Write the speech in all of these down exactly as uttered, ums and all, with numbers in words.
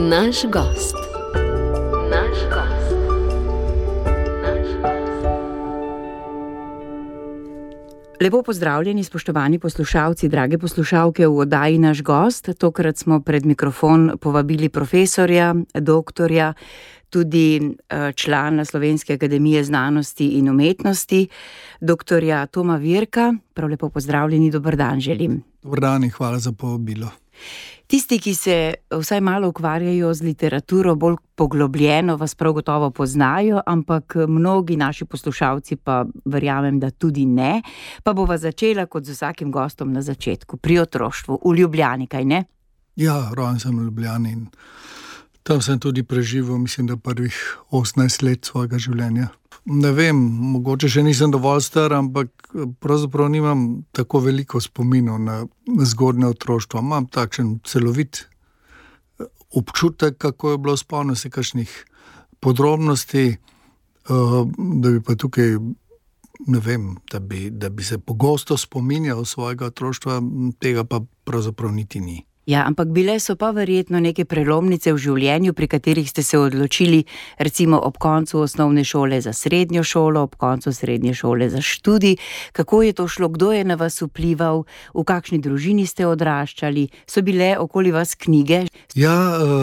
Naš gost. Naš gost. Naš gost. Lepo pozdravljeni, spoštovani poslušalci, drage poslušalke v oddaji Naš gost. Tokrat smo pred mikrofon povabili profesorja, doktorja, tudi člana Slovenske akademije znanosti in umetnosti, doktorja Toma Virka. Prav lepo pozdravljeni, dober dan želim. Dober dan in hvala za povabilo. Tisti, ki se vsaj malo ukvarjajo z literaturo, bolj poglobljeno, vas prav gotovo poznajo, ampak mnogi naši poslušalci pa verjamem, da tudi ne. Pa bova začela kot z vsakim gostom na začetku, pri otroštvu, v Ljubljani, kaj ne? Ja, rojen sem v Ljubljani in tam sem tudi preživel, mislim, da prvih osemnajst let svojega življenja. Ne vem, mogoče še nisem dovolj star, ampak pravzaprav nimam tako veliko spominov na zgodnje otroštvo. Imam takšen celovit občutek, kako je bilo, spomnim se kakšnih podrobnosti, da bi pa tukaj, ne vem, da bi, da bi se pogosto spominjal svojega otroštva, tega pa pravzaprav niti ni. Ja, ampak bile so pa verjetno neke prelomnice v življenju, pri katerih ste se odločili, recimo ob koncu osnovne šole za srednjo šolo, ob koncu srednje šole za študij. Kako je to šlo? Kdo je na vas vplival? V kakšni družini ste odraščali? So bile okoli vas knjige? Ja,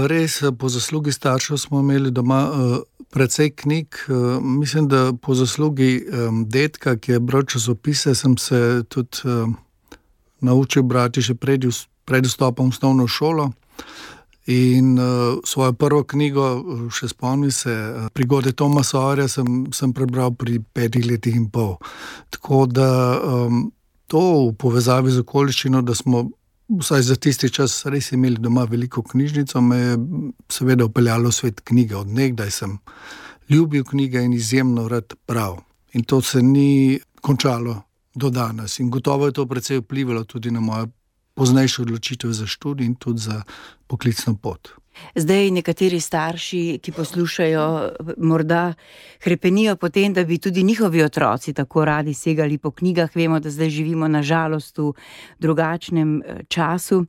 res, po zaslugi staršev smo imeli doma precej knjig. Mislim, da po zaslugi dedka, ki je bral časopise, sem se tudi naučil brati še pred pred vstopom v osnovno šolo in uh, svojo prvo knjigo, še spomnim se, Prigode Toma Sawyerja, sem, sem prebral pri petih letih in pol. Tako da um, to v povezavi z okoliščino, da smo vsaj za tisti čas res imeli doma veliko knjižnico, me je seveda upeljalo v svet knjige. Od nekdaj sem ljubil knjige in izjemno rad bral. In to se ni končalo do danes. In gotovo je to precej vplivalo tudi na mojo poznejšo odločitev za študij in tudi za poklicno pot. Zdaj nekateri starši, ki poslušajo, morda hrepenijo potem, da bi tudi njihovi otroci tako radi segali po knjigah. Vemo, da zdaj živimo na žalost v drugačnem času.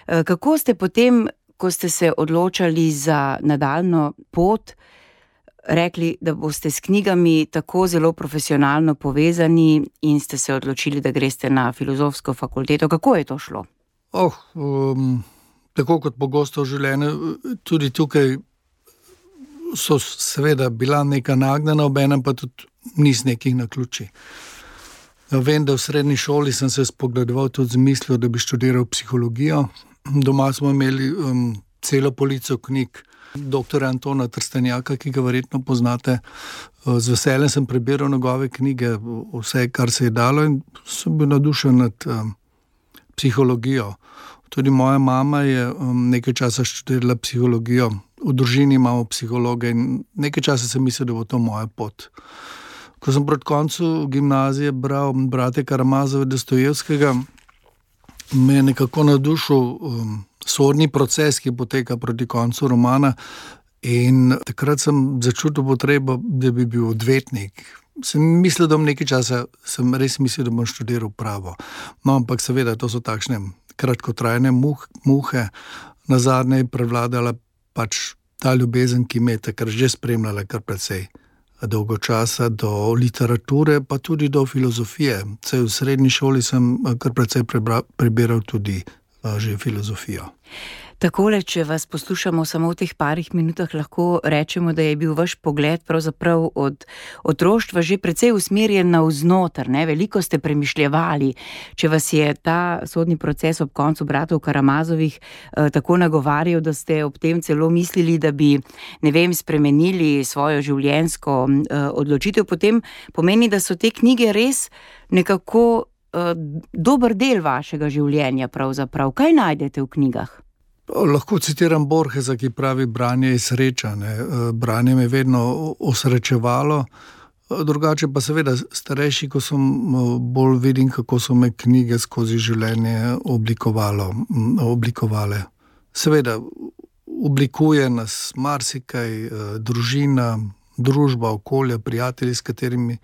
Kako ste potem, ko ste se odločali za nadaljnjo pot, rekli, da boste s knjigami tako zelo profesionalno povezani in ste se odločili, da greste na filozofsko fakulteto? Kako je to šlo? Oh, um, tako kot pogosto v življenju, tudi tukaj so seveda bila neka nagnjena, obenem pa tudi niz nekih naključij. Vem, da v srednji šoli sem se spogledoval tudi z mislijo, da bi študiral psihologijo. Doma smo imeli um, celo polico knjig doktorja Antona Trstenjaka, ki ga verjetno poznate. Z veseljem sem prebiral njegove knjige, vse, kar se je dalo, in sem bil navdušen nad um, psihologijo. Tudi moja mama je um, nekaj časa študirala psihologijo. V družini imamo psihologe in nekaj časa sem mislil, da bo to moja pot. Ko sem proti koncu gimnazije bral brate Karamazova Dostojevskega, me je nekako navdušil um, sodni proces, ki poteka proti koncu romana, in takrat sem začutil potrebo, da bi bil odvetnik. Sem mislil, da bom nekaj časa, sem res mislil, da bom študiral pravo. No, ampak seveda, to so takšne kratkotrajne muh, muhe. Nazadnje je prevladala pač ta ljubezen, ki me je takrat že spremljala kar precej dolgo časa, do literature, pa tudi do filozofije. Saj v srednji šoli sem kar precej prebra, prebiral tudi že filozofijo. Takole, če vas poslušamo samo v teh parih minutah, lahko rečemo, da je bil vaš pogled pravzaprav od otroštva že precej usmerjen navznoter, ne? Veliko ste premišljevali. Če vas je ta sodni proces ob koncu bratov Karamazovih eh, tako nagovarjal, da ste ob tem celo mislili, da bi, ne vem, spremenili svojo življenjsko eh, odločitev, potem pomeni, da so te knjige res nekako eh, dober del vašega življenja pravzaprav. Kaj najdete v knjigah? Lahko citiram Borgesa, ki pravi, branje je sreča. Ne? Branje me je vedno osrečevalo. Drugače pa seveda starejši, ko sem bolj vidim, kako so me knjige skozi življenje oblikovalo, oblikovale. Seveda oblikuje nas marsikaj, družina, družba, okolje, prijatelji, s katerimi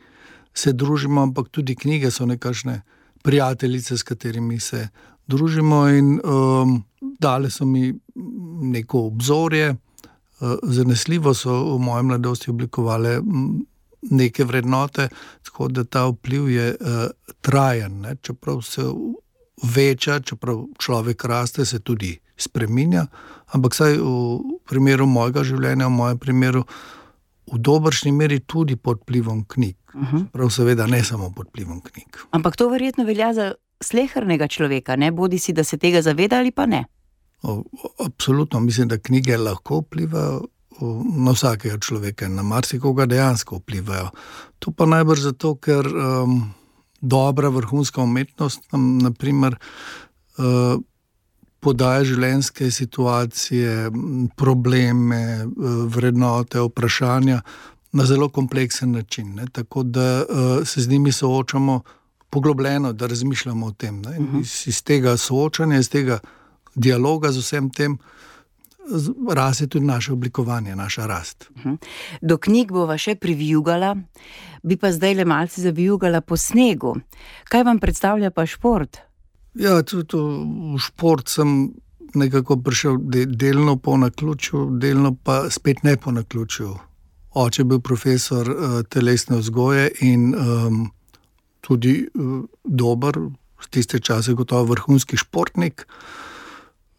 se družimo, ampak tudi knjige so nekakšne prijateljice, s katerimi se družimo in um, dale so mi neko obzorje. Zanesljivo so v moji mladosti oblikovale neke vrednote, tako da ta vpliv je trajen, ne? Čeprav se veča, čeprav človek raste, se tudi spreminja, ampak saj v primeru mojega življenja, v mojem primeru, v dobršni meri tudi pod vplivom knjig. Uh-huh. Prav seveda ne samo pod vplivom knjig. Ampak to verjetno velja za slehernega človeka, ne? Bodi si, da se tega zaveda ali pa ne. O, absolutno, mislim, da knjige lahko vplivajo na vsakega človeka, na marsikoga dejansko vplivajo. To pa najbrž zato, ker um, dobra vrhunska umetnost nam, na primer, uh, podaja življenjske situacije, probleme, vrednote, vprašanja na zelo kompleksen način, ne? Tako da uh, se z njimi soočamo poglobljeno, da razmišljamo o tem. Ne? Uh-huh. Iz, iz tega soočanja, iz tega dialoga z vsem tem raste tudi naše oblikovanje, naša rast. Uh-huh. Do knjig bova še privijugala, bi pa zdaj le malce zavijugala po snegu. Kaj vam predstavlja pa šport? Ja, tudi v šport sem nekako prišel de, delno po naključju, delno pa spet ne po naključju. Oče je bil profesor uh, telesne vzgoje in um, tudi uh, dober, v tiste čase gotovo vrhunski športnik.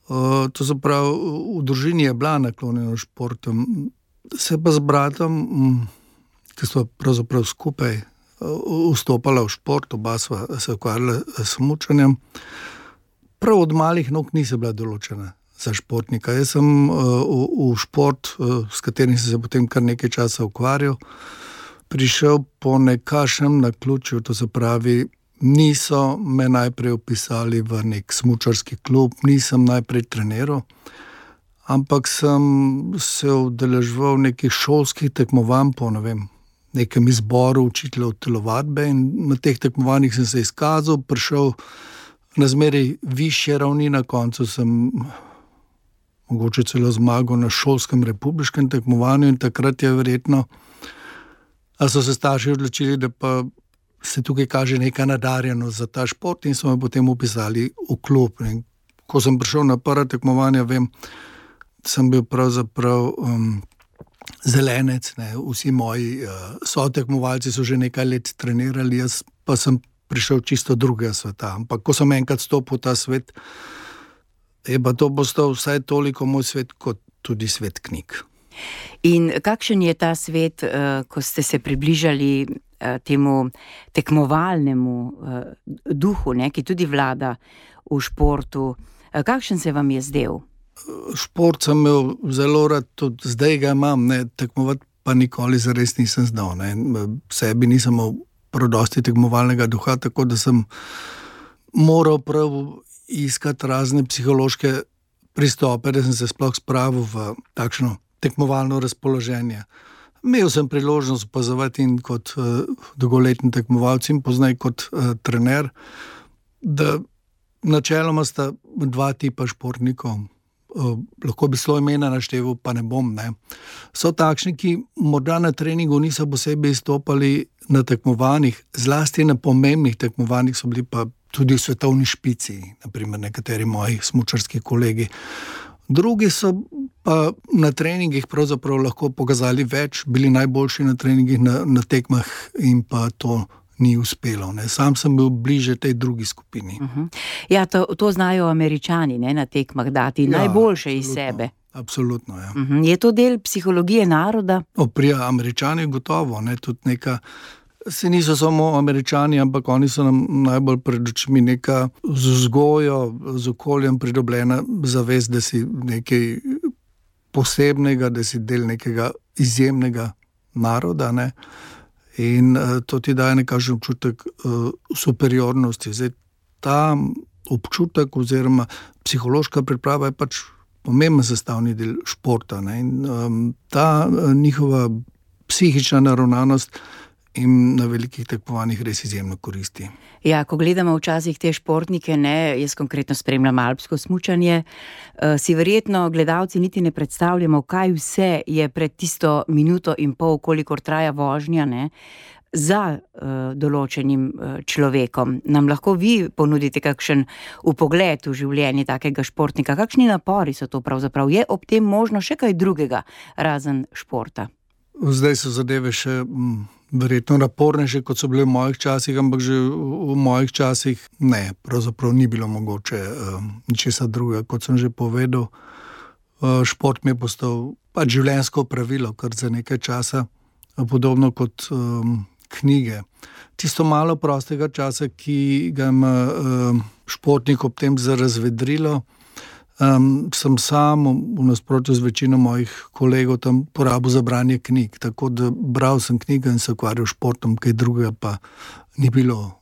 Uh, to se pravi, v družini je bila naklonjena športom. Se pa z bratom, ki smo pravzaprav skupaj uh, vstopala v šport, oba sva se ukvarjala s smučanjem. Prav od malih nog nisem bila določena za športnika. Jaz sem uh, v, v šport, uh, s katerim sem se potem kar nekaj časa ukvarjal, prišel po nekašnem naključju, to se pravi, niso me najprej upisali v nek smučarski klub, nisem najprej treniral, ampak sem se udeleževal nekih šolskih tekmovanj po, ne vem, nekem izboru učiteljev telovadbe in na teh tekmovanjih sem se izkazal, prišel na zmeraj višje ravni, na koncu sem mogoče celo zmagal na šolskem republiškem tekmovanju in takrat je verjetno, a so se starši odločili, da pa se tukaj kaže neka nadarjenost za ta šport in so me potem upisali v klub. In ko sem prišel na prva tekmovanja, vem, sem bil pravzaprav um, zelenec, ne? Vsi moji uh, sotekmovalci so že nekaj let trenirali, jaz pa sem prišel čisto drugega sveta. Ampak ko sem enkrat stopil v ta svet, je pa to postal vsaj toliko moj svet, kot tudi svet knjig. In kakšen je ta svet, uh, ko ste se približali temu tekmovalnemu uh, duhu, ne, ki tudi vlada v športu. Kakšen se vam je zdel? Šport sem imel zelo rad, tudi zdaj ga imam, ne, tekmovati pa nikoli zares nisem znal. Ne. Sebi nisem imel prav dosti tekmovalnega duha, tako da sem moral prav iskati razne psihološke pristope, da sem se sploh spravil v takšno tekmovalno razpoloženje. Imel sem priložnost opazovati in kot uh, dolgoletni tekmovalec in poznaj kot uh, trener, da načeloma sta dva tipa športnikov. Uh, lahko bi svoj imena našteval, pa ne bom. Ne. So takšni, ki morda na treningu niso posebej izstopali na tekmovanjih, zlasti na pomembnih tekmovanjih so bili pa tudi v svetovni špici, naprimer nekateri moji smučarski kolegi. Drugi so pa na treningih pravzaprav lahko pokazali več, bili najboljši na treningih, na, na tekmah in pa to ni uspelo. Ne. Sam sem bil bliže tej drugi skupini. Uh-huh. Ja, to, to znajo Američani, ne, na tekmah dati ja, najboljše iz sebe. Absolutno, ja. Uh-huh. Je to del psihologije naroda? O, pri Američani gotovo, ne, tudi neka. Se niso samo Američani, ampak oni so nam najbolj pred očmi neka z vzgojo, z okoljem pridobljena zavest, da si nekaj posebnega, da si del nekega izjemnega naroda, ne? In uh, to ti daje nekakšen občutek uh, superiornosti. Zdaj, ta občutek oziroma psihološka priprava je pač pomemben sestavni del športa, ne? In um, ta uh, njihova psihična naravnanost in na velikih tekmovanjih res izjemno koristi. Ja, ko gledamo včasih te športnike, ne, jaz konkretno spremljam alpsko smučanje, uh, si verjetno gledalci niti ne predstavljamo, kaj vse je pred tisto minuto in pol, kolikor traja vožnja, ne, za uh, določenim uh, človekom. Nam lahko vi ponudite kakšen vpogled v življenje takega športnika? Kakšni napori so to pravzaprav? Je ob tem možno še kaj drugega razen športa? Zdaj so zadeve še m, verjetno napornejše, kot so bile v mojih časih, ampak že v, v mojih časih ne, pravzaprav ni bilo mogoče um, ničesar drugega. Kot sem že povedal, uh, šport mi je postal pač življenjsko pravilo, kar za nekaj časa, podobno kot um, knjige. Tisto malo prostega časa, ki ga ima um, športnik ob tem za razvedrilo, um, sem sam v nasprotju z večino mojih kolegov tam porabil za branje knjig. Tako da bral sem knjige in se ukvarjal športom, kaj drugega pa ni bilo.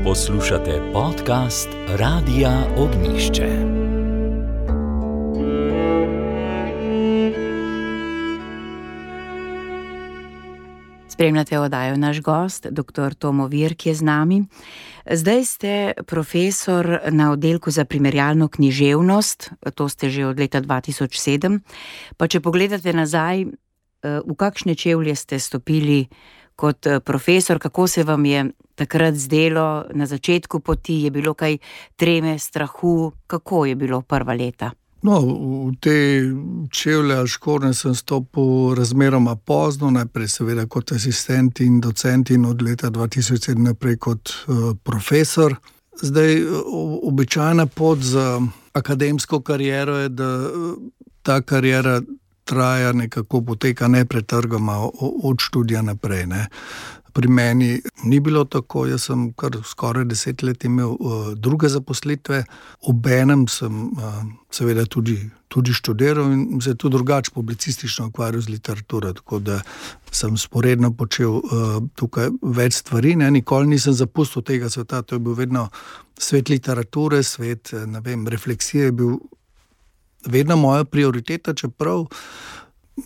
Poslušate podcast Radia Ognjišče. Spremljate oddajo Naš gost, doktor Tomo Virk je z nami. Zdaj ste profesor na oddelku za primerjalno književnost, to ste že od leta dva tisoč sedem. Pa če pogledate nazaj, v kakšne čevlje ste stopili kot profesor, kako se vam je takrat zdelo na začetku poti, je bilo kaj treme, strahu, kako je bilo prva leta? No, v te čevlje ali škornje sem stopil razmeroma pozno, najprej seveda kot asistent in docent in od leta dva tisoč sedem naprej kot uh, profesor. Zdaj, običajna pot za akademsko kariero je, da ta kariera traja nekako, poteka nepretrgoma od študija naprej, ne. Pri meni ni bilo tako, jaz sem kar skoraj deset let imel uh, druge zaposlitve, obenem sem uh, seveda tudi, tudi študiral in se tudi drugače publicistično ukvarjal z literaturo, tako da sem sporedno počel uh, tukaj več stvari, ne, nikoli nisem zapustil tega sveta, to je bil vedno svet literature, svet, ne vem, refleksije je bil vedno moja prioriteta, čeprav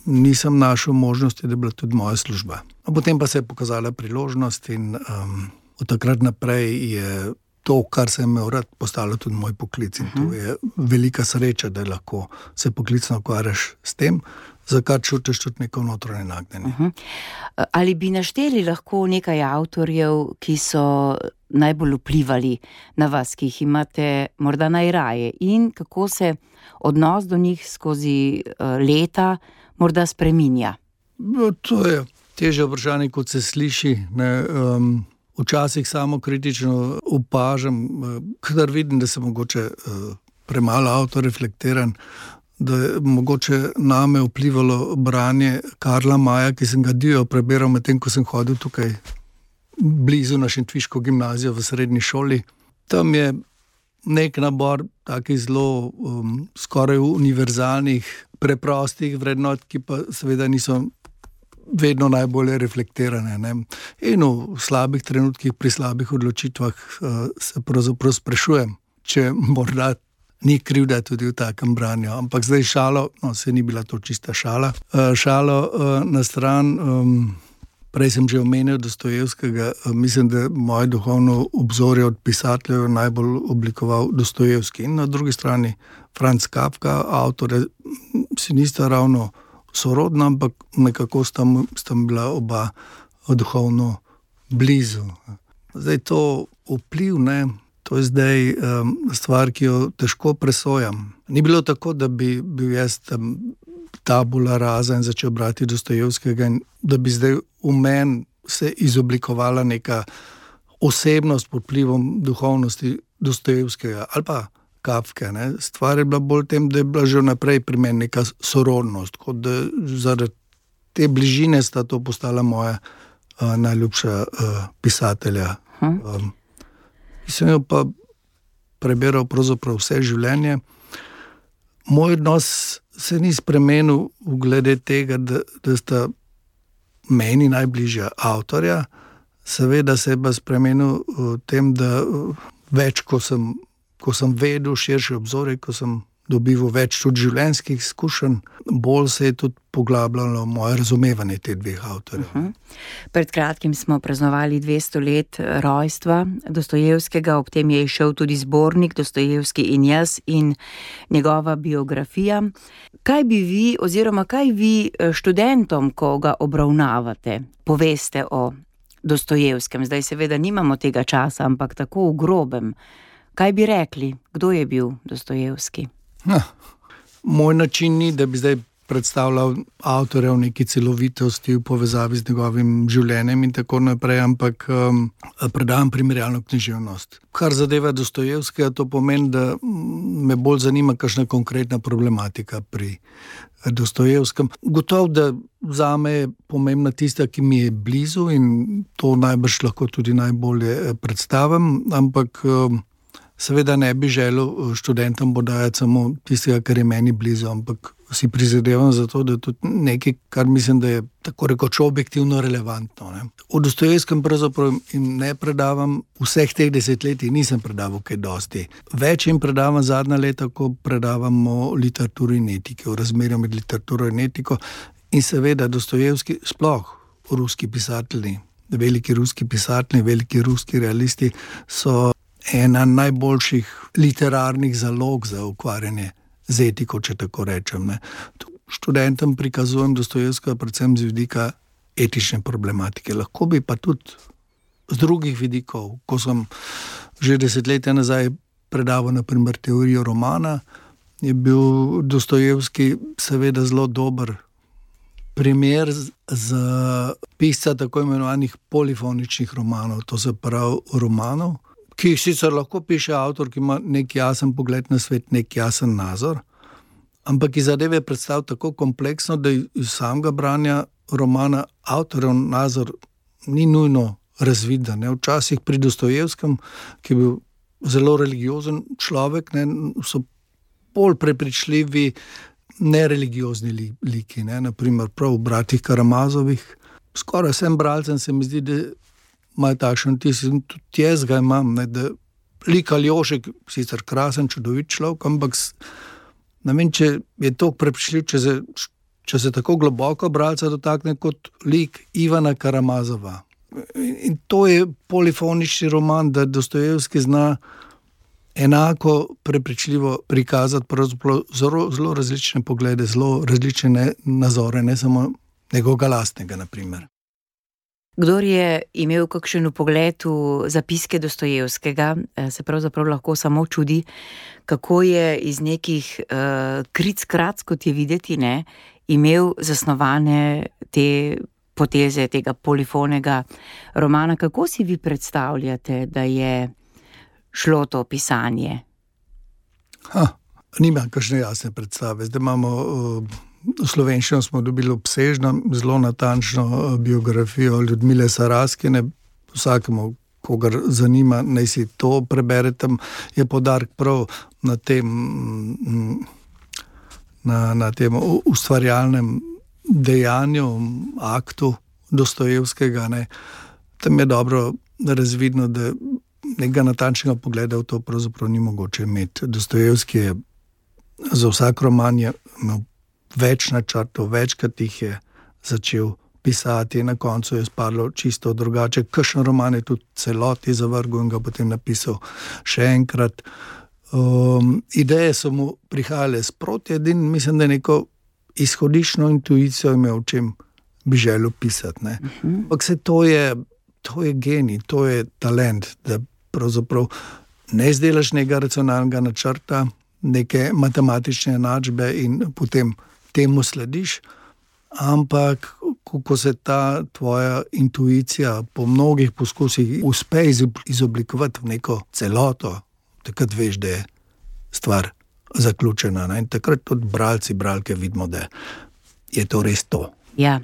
nisem našel možnosti, da je bila tudi moja služba. A potem pa se je pokazala priložnost in um, od takrat naprej je to, kar sem imel rad, postalo tudi moj poklic. In to je velika sreča, da lahko se poklicno ukvarjaš s tem, za kar čutiš tudi neko notranje nagnjenje. Uh-huh. Ali bi našteli lahko nekaj avtorjev, ki so najbolj vplivali na vas, ki jih imate morda najraje, in kako se odnos do njih skozi uh, leta morda spreminja? No, to je težje vprašanje, kot se sliši. Ne, um, včasih samo kritično opažam, kadar vidim, da sem mogoče uh, premalo autoreflektiran, da je mogoče name vplivalo branje Karla Maja, ki sem ga divjo prebiral medtem, ko sem hodil tukaj blizu na Šentviško gimnazijo v srednji šoli. Tam je nek nabor takih zelo um, skoraj univerzalnih, preprostih vrednot, ki pa seveda niso vedno najbolje reflektirane. Ne? In v slabih trenutkih, pri slabih odločitvah uh, se pravzaprav sprašujem, če morda ni krivda tudi v takem branju. Ampak zdaj šalo, no, se ni bila to čista šala. Uh, šalo uh, na stran, um, prej sem že omenil Dostojevskega, uh, mislim, da moje duhovno obzorje od pisateljev najbolj oblikoval Dostojevski. In na drugi strani Franz Kafka, avtore si nista ravno sorodna, ampak nekako sta, sta bila oba duhovno blizu. Zdaj to vpliv, ne, to je zdaj um, stvar, ki jo težko presojam. Ni bilo tako, da bi bil jaz tam tabula rasa in začel brati Dostojevskega in da bi zdaj v meni se izoblikovala neka osebnost pod vplivom duhovnosti Dostojevskega ali pa Kafke. Ne. Stvar je bila bolj tem, da je bila že vnaprej pri meni neka sorodnost, kot da zaradi te bližine sta to postala moja uh, najljubša uh, pisatelja. Hm. Um, sem jo pa prebiral pravzaprav vse življenje. Moj odnos se ni spremenil v glede tega, da, da sta meni najbližja avtorja. Seveda se je pa spremenil v tem, da več, ko sem ko sem vedel širše obzorje, ko sem dobival več tudi življenjskih izkušenj, bolj se je tudi poglabljalo moje razumevanje teh dveh avtorjev. Uh-huh. Pred kratkim smo praznovali dvesto let rojstva Dostojevskega, ob tem je izšel tudi zbornik Dostojevski in jaz in njegova biografija. Kaj bi vi oziroma kaj vi študentom, ko ga obravnavate, poveste o Dostojevskem? Zdaj seveda nimamo tega časa, ampak tako v grobem. Kaj bi rekli, kdo je bil Dostojevski? Ha, moj način ni, da bi zdaj predstavljal avtorja v neki celovitosti v povezavi z njegovim življenjem in tako naprej, ampak um, predam primerjalno književnost. Kar zadeva Dostojevskega, to pomeni, da me bolj zanima kakšna konkretna problematika pri Dostojevskem. Gotovo, da zame je pomembna tista, ki mi je blizu in to najbrž lahko tudi najbolje predstavim, ampak um, seveda ne bi želel študentom podajati samo tistega, kar je meni blizu, ampak si prizadevam za to, da je tudi nekaj, kar mislim, da je tako rekoč objektivno relevantno. Ne. O Dostojevskem pravzaprav jim ne predavam, vseh teh desetletij nisem predaval kaj dosti. Več jim predavam zadnja leta, ko predavam o literaturi in etiki, o razmerju med literaturo in etiko. In seveda Dostojevski, sploh ruski pisatelji, veliki ruski pisatelji, veliki ruski realisti so ena najboljših literarnih zalog za ukvarjanje z etiko, če tako rečem. Ne. Študentom prikazujem Dostojevskega predvsem z vidika etične problematike. Lahko bi pa tudi z drugih vidikov, ko sem že desetletja nazaj predaval na primer teorijo romana, je bil Dostojevski seveda zelo dober primer za pisca tako imenovanih polifoničnih romanov, to se pravi romanov, ki jih sicer lahko piše avtor, ki ima nek jasen pogled na svet, nek jasen nazor, ampak ki zadeve predstavlja tako kompleksno, da iz samega branja romana avtorjev nazor ni nujno razviden. Včasih pri Dostojevskem, ki je bil zelo religiozen človek, ne, so bolj prepričljivi nereligiozni liki, ne, naprimer prav v Bratih Karamazovih. Skoraj vsem bralcem se mi zdi, da imajo takšen tis, in tudi jaz ga imam, ne, da lik Aljošek, sicer krasen, čudovit človek, ampak ne vem, če je to prepričljiv, če se, če se tako globoko bralca dotakne kot lik Ivana Karamazova. In, in to je polifonični roman, da Dostojevski zna enako prepričljivo prikazati pravzaprav zelo, zelo različne poglede, zelo različne nazore, ne samo njegovega lastnega, na primer. Kdor je imel kakšen vpogled v zapiske Dostojevskega, se pravzaprav lahko samo čudi, kako je iz nekih uh, kric-krac, kot je videti, ne, imel zasnovane te poteze tega polifonega romana. Kako si vi predstavljate, da je šlo to pisanje? Ha, nimam kakšne jasne predstave. Zdaj imamo... Uh... V slovenščino smo dobili obsežno, zelo natančno biografijo Ljudmile Saraskine. Vsakemu, kogar zanima, naj si to prebere, tam je poudarek prav na tem, na, na tem ustvarjalnem dejanju, aktu Dostojevskega. Ne. Tam je dobro razvidno, da nekega natančnega pogleda v to pravzaprav ni mogoče imeti. Dostojevski je za vsak roman je imel več načrtov, večkrat jih je začel pisati, na koncu je spadlo čisto drugače. Kakšen roman je tudi celoti zavrgel in ga potem napisal še enkrat. Um, ideje so mu prihajale sproti, edin, mislim, da neko izhodiščno intuicijo imel, o čem bi želel pisati. Ne. Ampak se to je, to je genij, to je talent, da pravzaprav ne izdelaš nekega racionalnega načrta, neke matematične enačbe in potem temu slediš, ampak ko se ta tvoja intuicija po mnogih poskusih uspe izoblikovati v neko celoto, takrat veš, da je stvar zaključena. Ne? In takrat tudi bralci, bralke vidimo, da je to res to. Ja,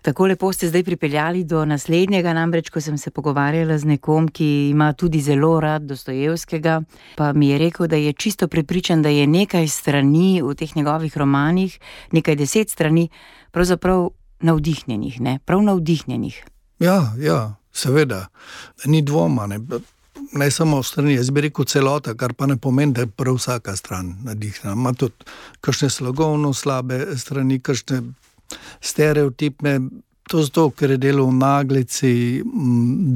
tako lepo ste zdaj pripeljali do naslednjega, namreč, ko sem se pogovarjala z nekom, ki ima tudi zelo rad Dostojevskega, pa mi je rekel, da je čisto prepričan, da je nekaj strani v teh njegovih romanih, nekaj deset strani, pravzaprav navdihnjenih, ne? Prav navdihnjenih. Ja, ja, seveda. Ni dvoma, ne. ne samo strani, jaz bi rekel celota, kar pa ne pomeni, da je prav vsaka stran nadihnjena. Ima tudi kakšne slogovno slabe strani, kakšne stereotipne. To zato, ker je delal v naglici,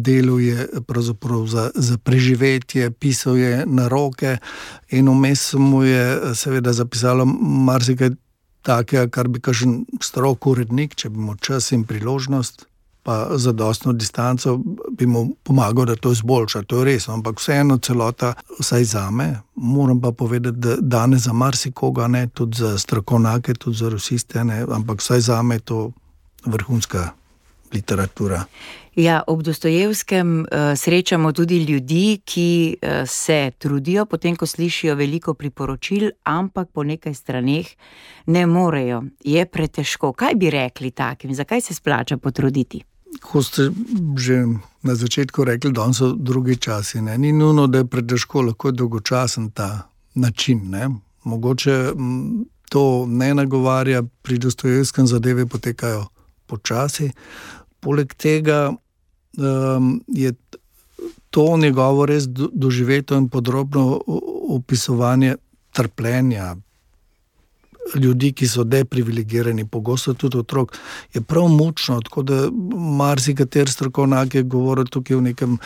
deluje pravzaprav za, za preživetje, pisal je na roke in vmes mu je seveda zapisalo marsikaj takega, kar bi kakšen strok urednik, če bi imel čas in priložnost, pa zadostno distanco, bi mu pomagal, da to izboljša. To je res, ampak vseeno celota, vsaj zame, moram pa povedati, da danes za marsikoga, ne, tudi za strokovnjake, tudi za rusiste, ne, ampak vsaj zame je to vrhunska literatura. Ja, ob Dostojevskem uh, srečamo tudi ljudi, ki uh, se trudijo, potem ko slišijo veliko priporočil, ampak po nekaj straneh ne morejo. Je pretežko. Kaj bi rekli takim? Zakaj se splača potruditi? Ko ste že na začetku rekli, da so drugi časi, ne? Ni nujno, da je pretežko, lahko je dolgočasen ta način. Ne? Mogoče m, to ne nagovarja, pri Dostojevskem zadeve potekajo počasi. Poleg tega um, je to njegovo res doživeto in podrobno opisovanje trpljenja ljudi, ki so deprivilegirani, pogosto tudi otrok, je prav mučno, tako da marsikater strokovnjak je govoril tukaj o nekem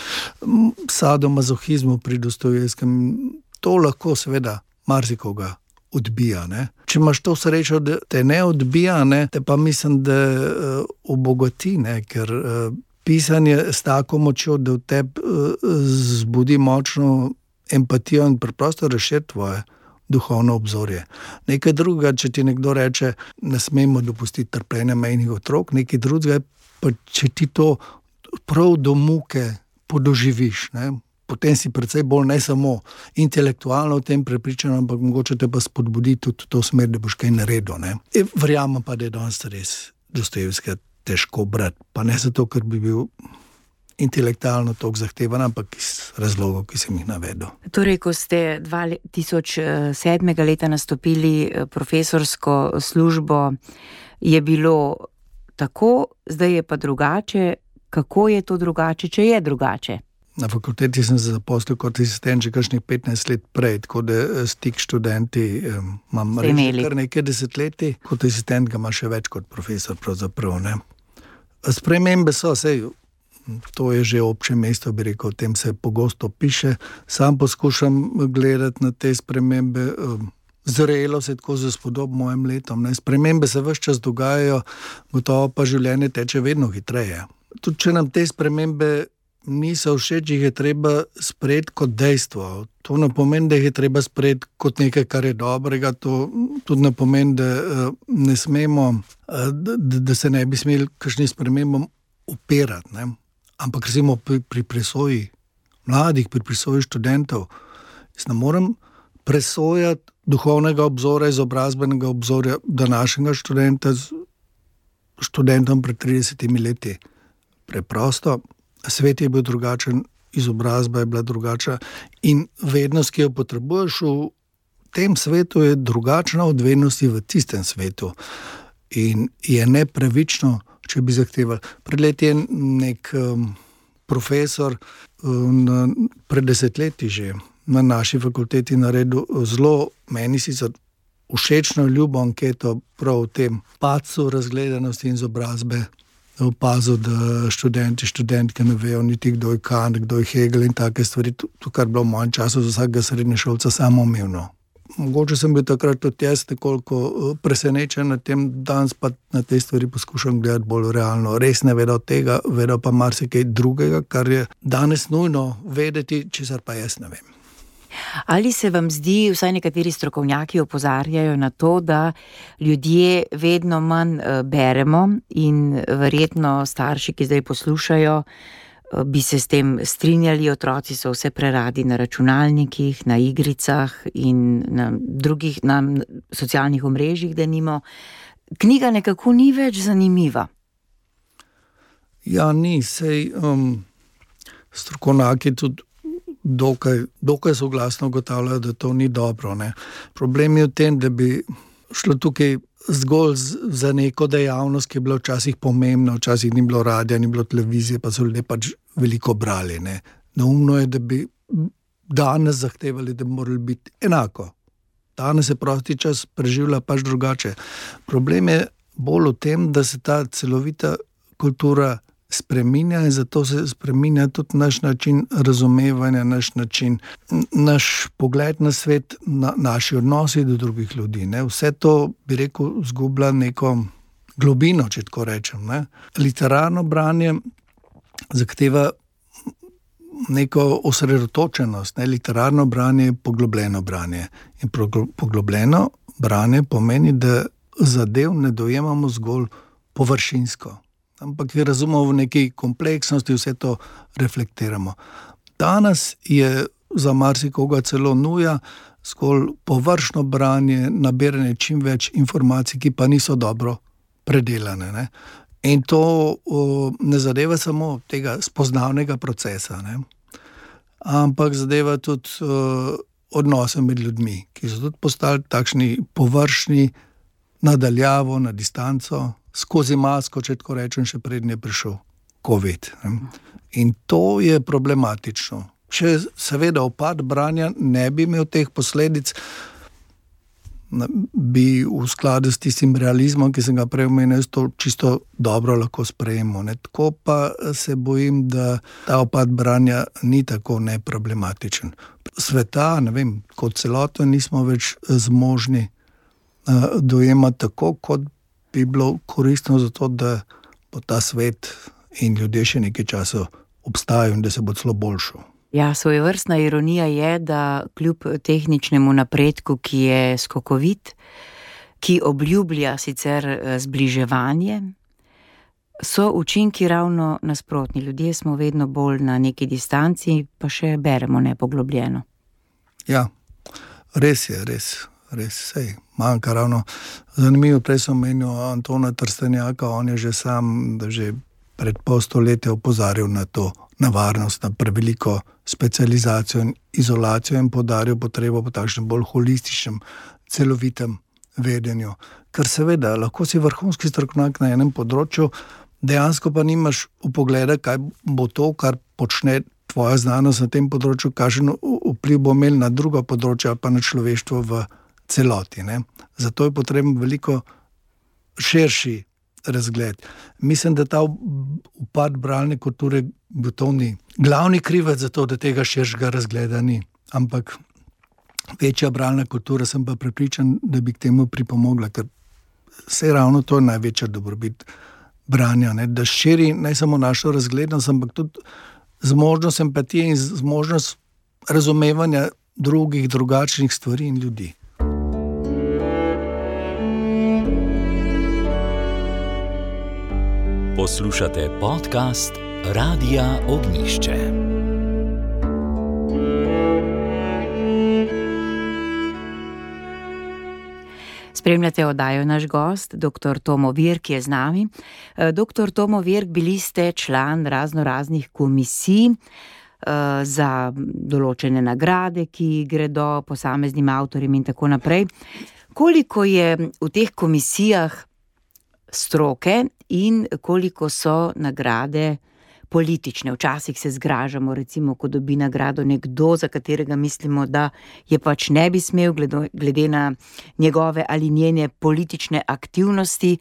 sadomazohizmu pri Dostojevskem. To lahko seveda marsikoga odbija. Ne? Če imaš to srečo, da te ne odbija, ne, te pa mislim, da uh, obogati, ne, ker uh, pisanje s tako močjo, da v tebi uh, zbudi močno empatijo in preprosto razširi tvoje duhovno obzorje. Nekaj drugega, če ti nekdo reče, ne smemo dopustiti trpljenja majhnih otrok, nekaj drugega, pa če ti to prav do muke podoživiš, ne, potem si precej bolj ne samo intelektualno v tem prepričan, ampak mogoče te pa spodbudi tudi to smer, da boš kaj naredil. Ne. E, verjamem pa, da je danes res Dostojevskega težko brati, pa ne zato, ker bi bil intelektualno toliko zahtevan, ampak iz razlogov, ki sem jih navedel. Torej, ko ste dva tisoč sedmega leta nastopili profesorsko službo, je bilo tako, zdaj je pa drugače. Kako je to drugače, če je drugače? Na fakulteti sem se zaposlil kot asistent že kakšnih petnajst let prej, tako da stik študenti um, imam reči kar nekaj desetletij, kot asistent ga ima še več kot profesor pravzaprav. Ne. Spremembe so, sej, to je že obče mesto, bi rekel, o tem se pogosto piše. Sam poskušam gledati na te spremembe, um, zrelo se tako za spodob mojim letom. Ne. Spremembe se ves čas dogajajo, gotovo pa življenje teče vedno hitreje. Tudi če nam te spremembe niso všeč, jih je treba sprejeti kot dejstvo. To ne pomeni, da jih je treba sprejeti kot nekaj, kar je dobrega. To tudi ne pomeni, da ne smemo, da, da se ne bi smeli kakšnim spremembam upirati. Ne? Ampak recimo pri, pri presoji mladih, pri presoji študentov, jaz ne morem presojati duhovnega obzora, izobrazbenega obzorja današnjega študenta z študentom pred tridesetimi leti. Preprosto. Svet je bil drugačen, izobrazba je bila drugačna in vednost, ki jo potrebuješ v tem svetu, je drugačna od vednosti v tistem svetu. In je nepravično, če bi zahtevali. Pred leti je nek um, profesor um, pred desetletji že na naši fakulteti naredil zelo, meni sicer všečno ljubo anketo prav o tem padcu razgledanosti in izobrazbe. Opazil, da študenti, študentke ne vejo niti kdo je Kant, kdo je Hegel in take stvari. To, kar bilo v mojem času za vsakega srednješolca samoumevno. Mogoče sem bil takrat tudi jaz nekoliko presenečen na tem, danes pa na te stvari poskušam gledati bolj realno. Res ne vedo tega, vedo pa marsikaj drugega, kar je danes nujno vedeti, česar pa jaz ne vem. Ali se vam zdi, vsaj nekateri strokovnjaki opozarjajo na to, da ljudje vedno manj beremo in verjetno starši, ki zdaj poslušajo, bi se s tem strinjali, otroci so vse preradi na računalnikih, na igricah in na drugih, na socialnih omrežjih, denimo. Knjiga nekako ni več zanimiva. Ja, ni, sej um, strokovnjaki tudi Dokaj, dokaj soglasno ugotavljajo, da to ni dobro. Ne. Problem je v tem, da bi šlo tukaj zgolj za neko dejavnost, ki je bila včasih pomembna, včasih ni bilo radija, ni bilo televizije, pa so ljudje pač veliko brali. Ne. Neumno je, da bi danes zahtevali, da bi morali biti enako. Danes se prosti čas preživlja pač drugače. Problem je bolj v tem, da se ta celovita kultura spreminja in zato se spreminja tudi naš način razumevanja, naš način, naš pogled na svet, na, naši odnosi do drugih ljudi. Ne. Vse to, bi rekel, zgublja neko globino, če tako rečem. Ne. Literarno branje zahteva neko osredotočenost. Ne. Literarno branje je poglobljeno branje. In poglobljeno branje pomeni, da zadev ne dojemamo zgolj površinsko, ampak je razumemo v neki kompleksnosti, vse to reflektiramo. Danes je za marsikoga celo nuja zgolj površno branje, nabiranje čim več informacij, ki pa niso dobro predelane. Ne? In to o, ne zadeva samo tega spoznavnega procesa, ne? Ampak zadeva tudi o, odnose med ljudmi, ki so tudi postali takšni površni, nadaljavo, na distanco, skozi masko, če tako rečem, še prednje prišel COVID. Ne? In to je problematično. Če seveda upad branja ne bi imel teh posledic, bi v skladu s tistim realizmom, ki sem ga prej omenil, to čisto dobro lahko sprejemo. Ne? Tako pa se bojim, da ta upad branja ni tako neproblematičen. Sveta, ne vem, kot celoto nismo več zmožni uh, dojemati tako, kot bi bilo koristno za to, da bo ta svet in ljudje še nekaj časa obstajajo in da se bo celo boljšo. Ja, svojevrstna ironija je, da kljub tehničnemu napredku, ki je skokovit, ki obljublja sicer zbliževanje, so učinki ravno nasprotni. Ljudje smo vedno bolj na neki distanci, pa še beremo nepoglobljeno. Ja, res je, res. Res, sej, manjka ravno. Zanimivo, prej sem omenil Antona Trstenjaka, on je že sam, da že pred pol stoletja opozarjal na to nevarnost, na preveliko specializacijo in izolacijo in podaril potrebo po takšnem bolj holističnem, celovitem vedenju. Ker seveda, lahko si vrhunski strokovnjak na enem področju, dejansko pa nimaš vpogleda, kaj bo to, kar počne tvoja znanost na tem področju, kakšen vpliv bo imel na druga področja, pa na človeštvo v celoti. Ne? Zato je potreben veliko širši razgled. Mislim, da ta upad bralne kulture gotovo ni glavni krivec za to, da tega širšega razgleda ni. Ampak večja bralna kultura, sem pa prepričan, da bi k temu pripomogla, ker se ravno to je največja dobrobit branja, ne? Da širi ne samo našo razglednost, ampak tudi zmožnost empatije in zmožnost razumevanja drugih, drugačnih stvari in ljudi. Poslušate podcast Radia Ognjišče. Spremljate oddajo Naš gost, doktor Tomo Virk je z nami. Doktor Tomo Virk, bili ste član razno raznih komisij za določene nagrade, ki gredo posameznim avtorjem in tako naprej. Koliko je v teh komisijah stroke in koliko so nagrade politične? Včasih se zgražamo, recimo, ko dobi nagrado nekdo, za katerega mislimo, da je pač ne bi smel, glede na njegove ali njene politične aktivnosti.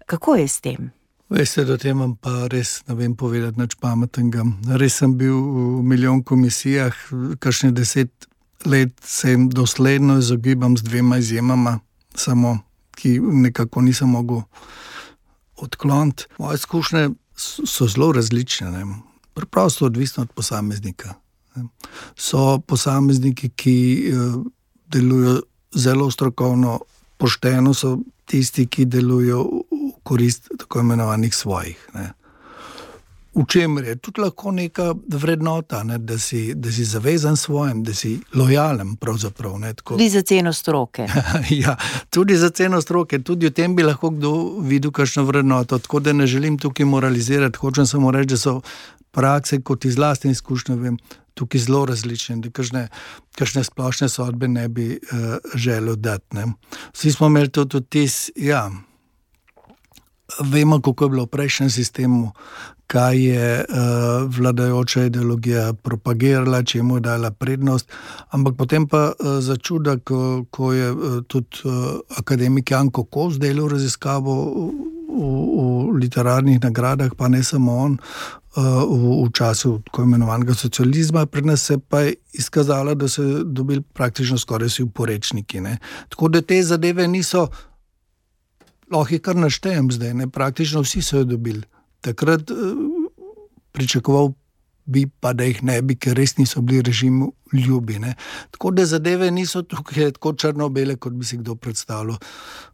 Kako je s tem? Veste, da tem vam pa res ne vem povedati nič pametnega. Res sem bil v milijon komisijah, kakšne deset let se jim dosledno izogibam z dvema izjemama, samo ki nekako nisem mogel odkloniti. Moje izkušnje so zelo različne, ne. Preprosto odvisno od posameznika. Ne. So posamezniki, ki delujejo zelo strokovno, pošteno, so tisti, ki delujejo v korist tako imenovanih svojih. Ne. V čemer je tudi lahko neka vrednota, ne, da si, da si zavezan svojim, da si lojalen pravzaprav. Ne, tako. Tudi za ceno stroke. Ja, tudi za ceno stroke. Tudi v tem bi lahko kdo videl kakšno vrednoto. Tako da ne želim tukaj moralizirati. Hočem samo reči, da so prakse, kot iz lastne izkušnje vem, tukaj zelo različne, da kakšne, kakšne splošne sodbe ne bi uh, želel dati. Ne. Vsi smo imeli tudi vtis, ja, vemo, kako je bilo v prejšnjem sistemu, kaj je uh, vladajoča ideologija propagirala, čemu je dala prednost, ampak potem pa uh, začuda, ko, ko je uh, tudi uh, akademik Janko Kos delal raziskavo v, v, v literarnih nagradah, pa ne samo on, uh, v, v času tako imenovanega socializma, pri nas se pa je izkazalo, da so dobili praktično skoraj vsi uporečniki. Ne? Tako da te zadeve niso, lahko jih kar naštejem zdaj, ne? Praktično vsi so jo dobili. Takrat pričakoval bi pa, da jih ne bi, ker res niso bili režimu ljubi. Ne? Tako da zadeve niso tukaj tako črno-bele, kot bi si kdo predstavljal.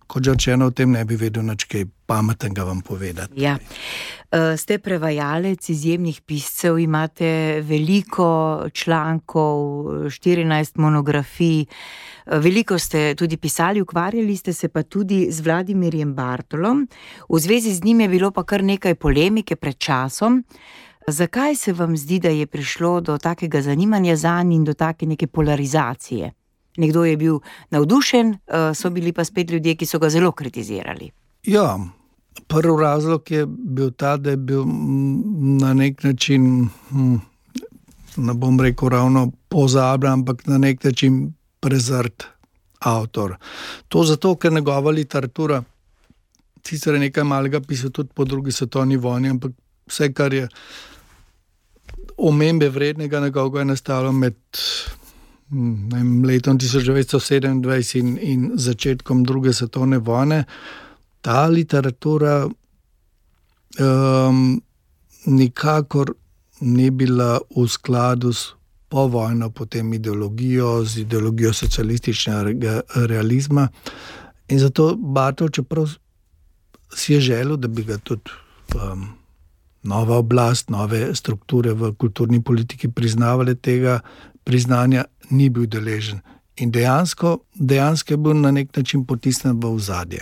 Kot že rečeno, o tem ne bi vedel nič kaj pametnega vam povedati. Ja. Ste prevajalec izjemnih piscev, imate veliko člankov, štirinajst monografij, veliko ste tudi pisali, ukvarjali ste se pa tudi z Vladimirjem Bartolom. V zvezi z njim je bilo pa kar nekaj polemike pred časom. Zakaj se vam zdi, da je prišlo do takega zanimanja zanj in do take neke polarizacije? Nekdo je bil navdušen, so bili pa spet ljudje, ki so ga zelo kritizirali. Ja, prvi razlog je bil ta, da je bil na nek način, ne bom rekel ravno pozabljen, ampak na nek način prezrt avtor. To zato, ker njegova literatura, sicer je nekaj malega pisal tudi po drugi svetovni vojni, ampak vse, kar je omembe vrednega, njegovega je nastalo med ne vem, letom tisoč devetsto sedemindvajset in, in začetkom druge svetovne vojne. Ta literatura um, nikakor ni bila v skladu s povojno potem ideologijo, z ideologijo socialističnega realizma. In zato Bartol, čeprav si je želel, da bi ga tudi um, nova oblast, nove strukture v kulturni politiki priznavale, tega priznanja ni bil deležen. In dejansko, dejansko je bil na nek način potisnen v ozadje.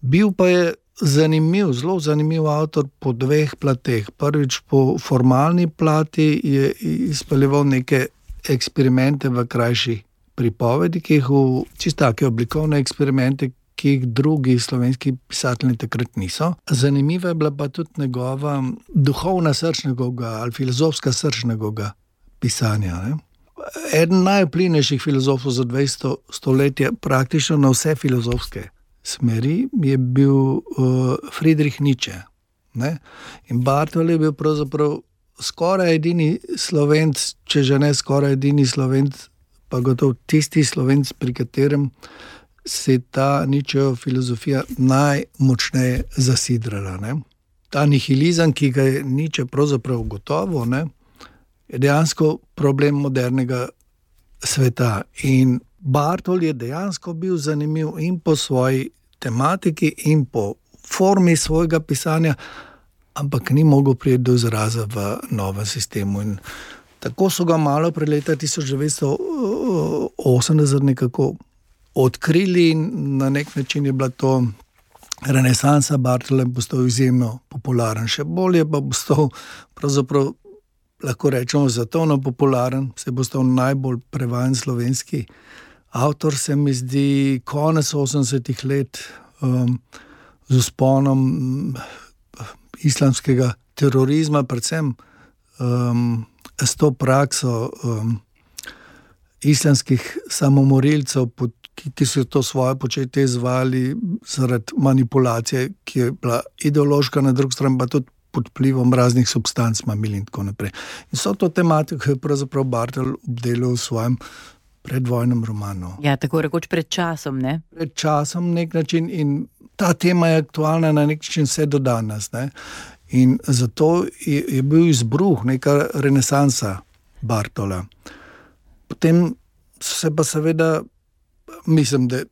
Bil pa je zanimiv, zelo zanimiv avtor po dveh plateh. Prvič po formalni plati je izpeljeval neke eksperimente v krajših pripovedi, ki jih v čisto take oblikovne eksperimente, ki jih drugi slovenski pisatelji takrat niso. Zanimiva je bila pa tudi njegova duhovna srč njegovega ali filozofska srč njegovega pisanja. Ne? Eden najvplivnejših filozofov za dvajseto stoletje, praktično na vse filozofske smeri, je bil uh, Friedrich Nietzsche. Ne? In Bartol je bil pravzaprav skoraj edini Slovenc, če že ne skoraj edini Slovenc, pa gotovo tisti Slovenc, pri katerem se je ta Nietzscheva filozofija najmočneje zasidrala. Ne? Ta nihilizem, ki ga je Nietzsche pravzaprav gotovo, ne, je dejansko problem modernega sveta. In Bartol je dejansko bil zanimiv in po svoji tematiki in po formi svojega pisanja, ampak ni mogel priti do izraza v novem sistemu. In tako so ga malo pred leta tisoč devetsto osemdeset nekako odkrili in na nek način je bila to renesansa Bartola in postal izjemno popularen. Še bolje pa postal pravzaprav, lahko rečemo, zatovno popularen, se bo stal najbolj prevajan slovenski avtor, se mi zdi, konec osemdesetih let um, z vzponom islamskega terorizma, predvsem um, s to prakso um, islamskih samomorilcev, pod, ki, ki so to svoje početje izvajali zaradi manipulacije, ki je bila ideološka, na drugi strani pa tudi pod vplivom raznih substanc, mamil in tako naprej. In so to tematiko je pravzaprav Bartol obdelal v svojem predvojnem romanu. Ja, tako rekoč pred časom, ne? Pred časom nek način in ta tema je aktualna na nek način vse do danes, ne? In zato je, je bil izbruh, neka renesansa Bartola. Potem se pa seveda, mislim, da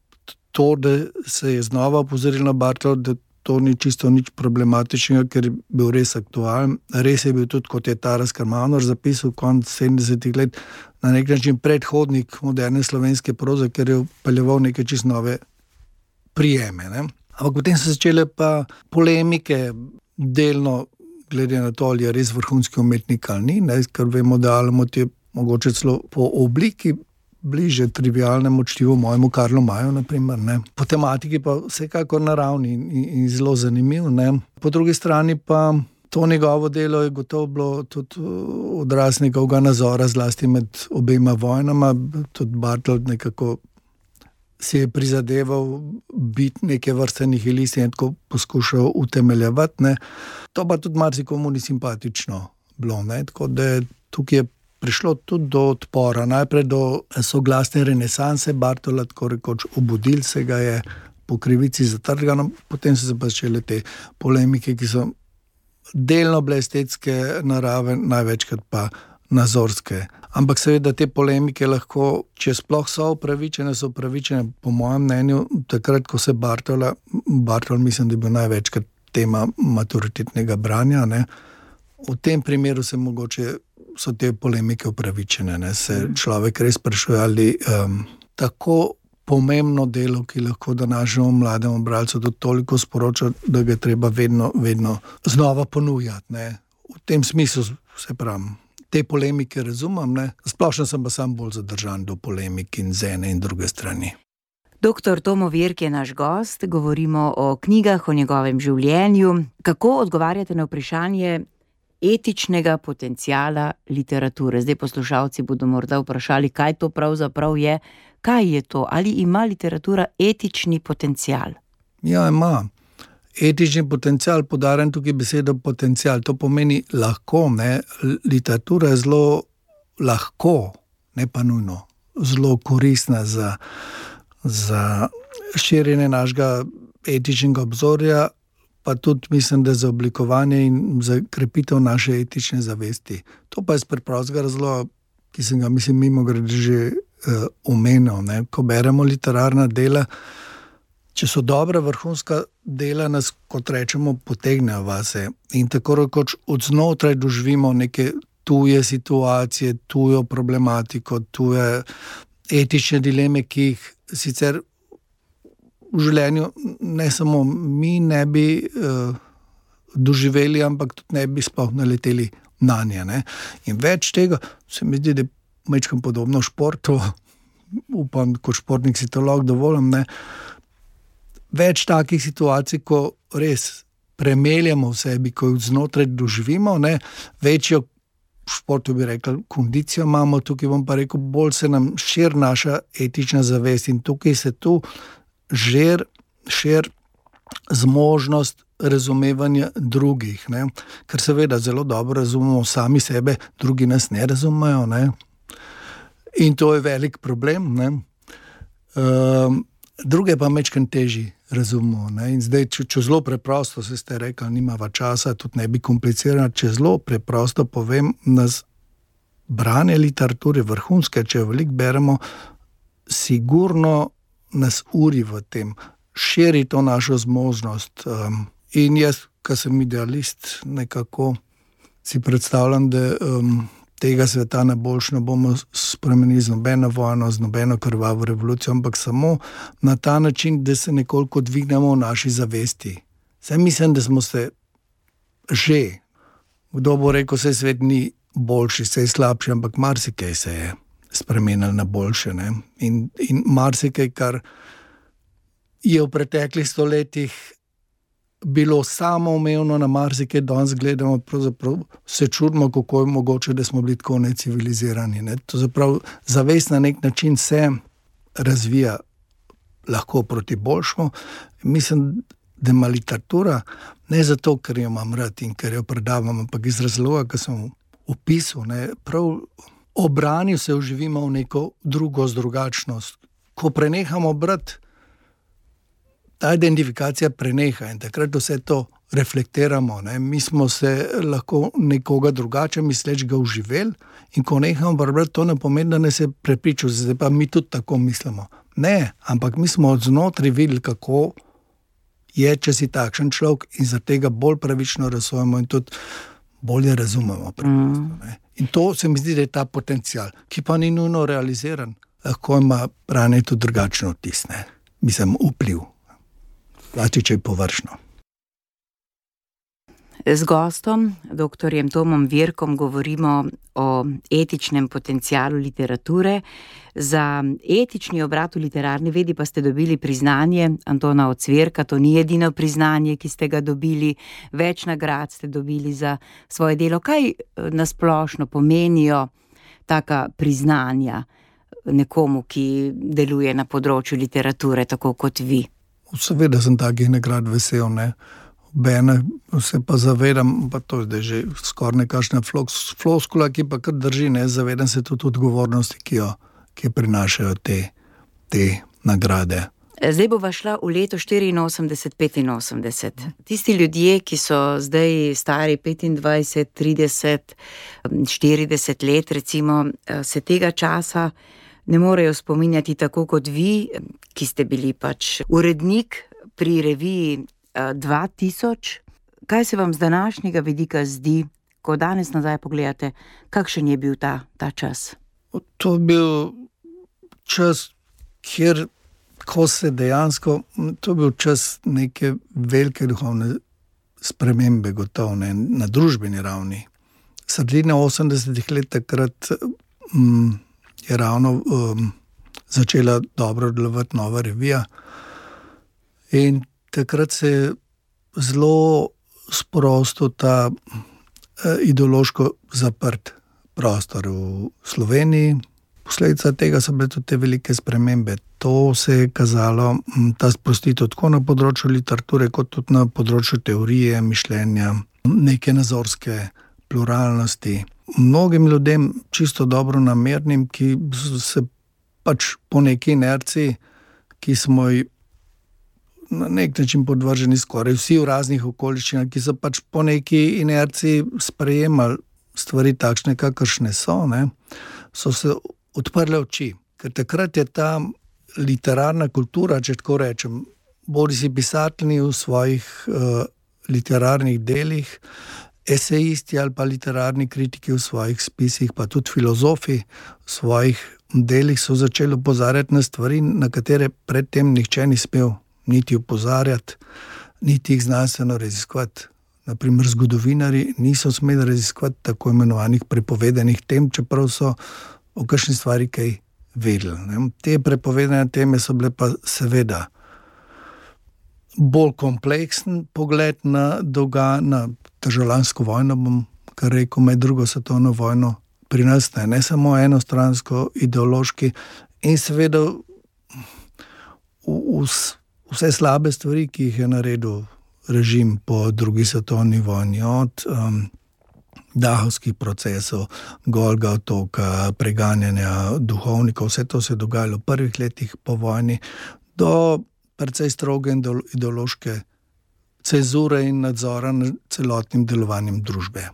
to, da se je znova opozoril na Bartola, da to ni čisto nič problematičnega, ker je bil res aktualen. Res je bil tudi, kot je Taras Karmanor zapisal konec sedemdesetih let, na nek način predhodnik moderne slovenske proze, ker je vpeljeval neke čisto nove prijeme. Ne? Ampak potem so začele pa polemike, delno glede na to, ali je res vrhunski umetnik ali ni, ne? Ker vemo, da Alamut je mogoče celo po obliki bliže trivialnemu čtivu mojemu Karlu Maju, naprimer, ne. Po tematiki pa vsekakor naravni in, in zelo zanimiv, ne. Po drugi strani pa to njegovo delo je gotovo bilo tudi odraz njegovega nazora, zlasti med obema vojnama. Tudi Bartold nekako si je prizadeval biti neke vrste nihilist in tako poskušal utemeljevati, ne. To pa tudi marsikomu ni simpatično bilo, ne. Tako da tukaj je prišlo tudi do odpora, najprej do soglasne renesanse Bartolda, tako rekoč obudil se ga je po krivici zatrgano, potem so se pa začele te polemike, ki so delno bile estetske narave, največkrat pa nazorske. Ampak seveda te polemike lahko, če sploh so upravičene, so upravičene po mojem mnenju, takrat, ko se Bartolda, Bartold mislim, da je bil največkrat tema maturitetnega branja, ne. V tem primeru se mogoče so te polemike upravičene, ne. Se človek res sprašuje, ali um, tako pomembno delo, ki lahko današnjemu mlademu bralcu tudi toliko sporoča, da ga treba vedno, vedno znova ponujati, ne. V tem smislu se pravim, te polemike razumem, ne. Splošno sem pa sam bolj zadržan do polemik in z ene in druge strani. Doktor Tomo Virk je naš gost, govorimo o knjigah, o njegovem življenju. Kako odgovarjate na vprašanje etičnega potenciala literature? Zdaj poslušalci bodo morda vprašali, kaj to pravzaprav je. Kaj je to? Ali ima literatura etični potencial? Ja, ima. Etični potencial, poudarjam tukaj besedo potencial, to pomeni lahko, ne. Literatura je zelo lahko, ne pa nujno, zelo koristna za, za širjenje našega etičnega obzorja, pa tudi mislim, da za oblikovanje in za krepitev naše etične zavesti. To pa je iz preprostega razloga, ki sem ga, mislim, mimogrede že uh, omenil, ne. Ko beremo literarna dela, če so dobra vrhunska dela, nas, kot rečemo, potegnejo vase in tako rekoč od znotraj doživimo neke tuje situacije, tujo problematiko, tuje etične dileme, ki jih sicer v življenju ne samo mi ne bi uh, doživeli, ampak tudi ne bi sploh naleteli na nje, ne. In več tega se mi zdi, da je majčkeno podobno športu, upam, kot športnik si to lahko dovolim, ne. Več takih situacij, ko res premeljamo v sebi, ko jih znotraj doživimo, ne, večjo v športu bi rekel kondicijo imamo, tukaj bom pa rekel, bolj se nam širi naša etična zavest in tukaj se tu žir, šir zmožnost razumevanja drugih, ne, ker seveda zelo dobro razumemo sami sebe, drugi nas ne razumejo, ne, in to je velik problem, ne. Um, druge pa majčkeno težji razumemo, ne, in zdaj, če, če zelo preprosto, se ste rekli, nimava časa, tudi ne bi komplicirano, če zelo preprosto povem, nas branje literature vrhunske, če veliko beremo, sigurno nas uri v tem, širi to našo zmožnost. Um, in jaz, ko sem idealist, nekako si predstavljam, da um, tega sveta na boljše ne bomo spremenili z nobeno vojno, z nobeno krvavo revolucijo, ampak samo na ta način, da se nekoliko dvignemo v naši zavesti. Saj mislim, da smo se že, kdo bo rekel, saj svet ni boljši, saj slabši, ampak marsikaj se je spremenili na boljše, ne. In, in marsikaj, kar je v preteklih stoletjih bilo samoumevno, na marsikaj danes gledamo, pravzaprav se čudimo, kako je mogoče, da smo bili tako necivilizirani, ne. To zaprav zavest na nek način se razvija lahko proti boljšemu. Mislim, da ima literatura, ne zato, ker jo imam rad in ker jo predavam, ampak iz razloga, ki sem opisal, ne, prav obranil se vživimo v neko drugo drugačnost. Ko prenehamo brati, ta identifikacija preneha in takrat vse to reflektiramo, ne. Mi smo se lahko nekoga drugače mislečega vživeli in ko nehamo brati, to ne pomeni, da ne se prepričal, zdaj pa mi tudi tako mislimo. Ne, ampak mi smo od znotraj videli, kako je, če si takšen človek in zaradi tega bolj pravično razsojamo in tudi bolje razumemo. Mm. In to se mi zdi, da je ta potencial, ki pa ni nujno realiziran. Lahko ima branje tudi drugačno vtis, ne. Mislim, vpliv. Plači, če je površno. Z gostom, doktorjem Tomom Virkom, govorimo o etičnem potencialu literature. Za etični obrat v literarni vedi pa ste dobili priznanje Antona Ocvirka. To ni edino priznanje, ki ste ga dobili. Več nagrad ste dobili za svoje delo. Kaj nasplošno pomenijo taka priznanja nekomu, ki deluje na področju literature, tako kot vi? Seveda sem takih nagrad vesel, ne. Bene se pa zavedam, pa to je že skoraj nekakšna floskula, ki pa kar drži, ne, zavedam se tudi odgovornosti, ki jo, ki prinašajo te, te nagrade. Zdaj bova šla v leto štiriinosemdeset petinosemdeset. Tisti ljudje, ki so zdaj stari petindvajset, trideset, štirideset let, recimo, se tega časa ne morejo spominjati tako kot vi, ki ste bili pač urednik pri reviji dva tisoč. Kaj se vam z današnjega vidika zdi, ko danes nazaj pogledate, kakšen je bil ta, ta čas? To je bil čas, kjer, ko se dejansko, to je bil čas neke velike duhovne spremembe, gotovo, ne, na družbeni ravni. Sredina osemdesetih let takrat um, je ravno um, začela dobro delovati nova revija in takrat se je zelo sprostil ta eh, ideološko zaprt prostor v Sloveniji. Posledica tega so bile tudi te velike spremembe. To se je kazalo, ta sprostitev tako na področju literature, kot tudi na področju teorije, mišljenja, neke nazorske pluralnosti. Mnogim ljudem, čisto dobro namernim, ki se pač po neki inerciji, ki smo ji na nek način podvrženi skoraj vsi v raznih okoliščinah, ki so pač po neki inerciji sprejemali stvari takšne, kakršne so, ne, so se odprle oči. Ker takrat je ta literarna kultura, če tako rečem, bodisi pisatelji v svojih uh, literarnih delih, esejisti ali pa literarni kritiki v svojih spisih, pa tudi filozofi v svojih delih so začeli opozarjati na stvari, na katere predtem nihče ni smel niti opozarjati, niti jih znanstveno raziskovati. Naprimer, zgodovinarji niso smeli raziskovati tako imenovanih prepovedanih tem, čeprav so o kakšni stvari kaj vedeli. Ne? Te prepovedane teme so bile pa seveda bolj kompleksen pogled na dolga, na državljansko vojno, bom kar rekel, med drugo svetovno vojno pri nas, ne, ne samo enostransko, ideološki in seveda v, v, vse slabe stvari, ki jih je naredil režim po drugi svetovni vojni, od um, dahovskih procesov, Golga otoka, preganjanja duhovnikov, vse to se je dogajalo v prvih letih po vojni, do precej stroge ideološke cenzure in nadzora nad celotnim delovanjem družbe.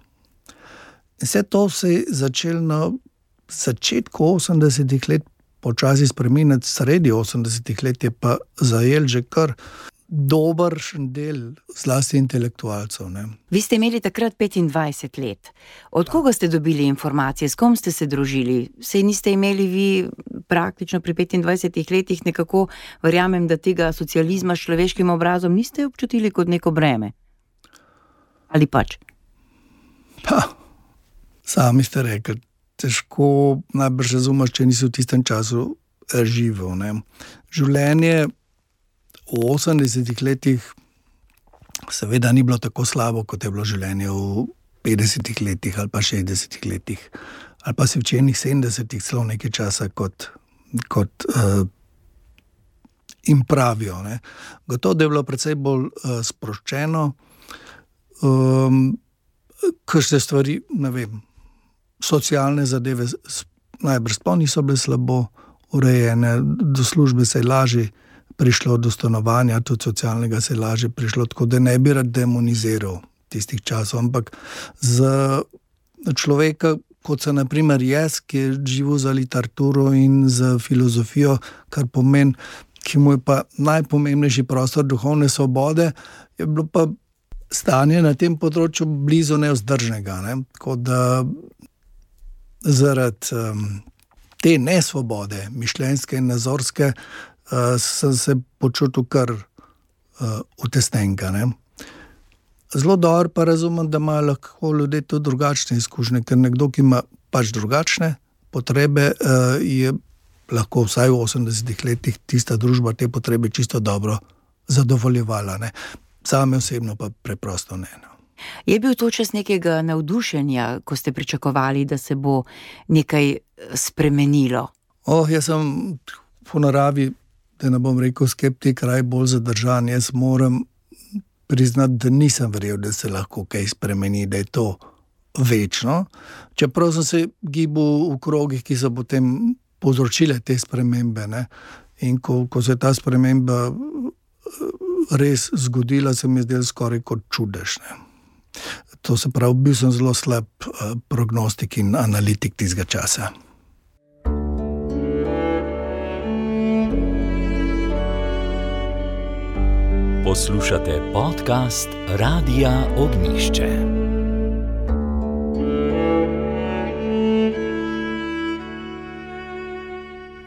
In vse to se je začelo na začetku osemdesetih let počasi spreminjati, sredi osemdesetih let je pa zajel že kar dobršen del, zlasti intelektualcev. Ne. Vi ste imeli takrat petindvajset let. Od koga ste dobili informacije, s kom ste se družili? Sej niste imeli vi praktično pri petindvajsetih letih nekako, verjamem, da tega socializma s človeškim obrazom niste občutili kot neko breme? Ali pač? Pa, sami ste rekli, težko najbrž razumeš, če nisi v tistem času živel. Ne. Življenje v osemdesetih letih seveda ni bilo tako slabo, kot je bilo življenje v petdesetih letih ali pa šestdesetih letih. Ali pa si v čenih sedemdesetih celo nekaj časa, kot, kot uh, jim pravijo. Ne. Gotovo, da je bilo precej bolj uh, sproščeno, um, kakšne stvari, ne vem, socialne zadeve najbrž sploh niso bile slabo urejene, do službe se je lažje prišlo, do stanovanja, tudi socialnega se je lažje prišlo, tako da ne bi rad demoniziral tistih časov, ampak za človeka, kot se na primer jaz, ki je živel za literaturo in za filozofijo, kar pomeni, ki mu je pa najpomembnejši prostor duhovne svobode, je bilo pa stanje na tem področju blizu nevzdržnega. Ne? Tako da zaradi um, te nesvobode, mišljenjske in nazorske, uh, sem se počutil kar uh, utesnenka. Ne? zelo dobro pa razumem, da imajo lahko ljudje tudi drugačne izkušnje, ker nekdo, ki ima pač drugačne potrebe, je lahko vsaj v osemdesetih letih tista družba te potrebe čisto dobro zadovoljevala. Ne. Same osebno pa preprosto ne. No. Je bil to čas nekega navdušenja, ko ste pričakovali, da se bo nekaj spremenilo? Oh, jaz sem po naravi, da ne bom rekel skeptik, raj bolj zadržan. Jaz moram priznati, da nisem verjel, da se lahko kaj spremeni, da je to večno. Čeprav sem se gibal v krogih, ki so potem povzročile te spremembe. Ne? In ko, ko se je ta sprememba res zgodila, se mi je zdelo skoraj kot čudež. Ne? To se pravi, bil sem zelo slab prognostik in analitik tistega časa. Poslušate podcast Radia Ognjišče.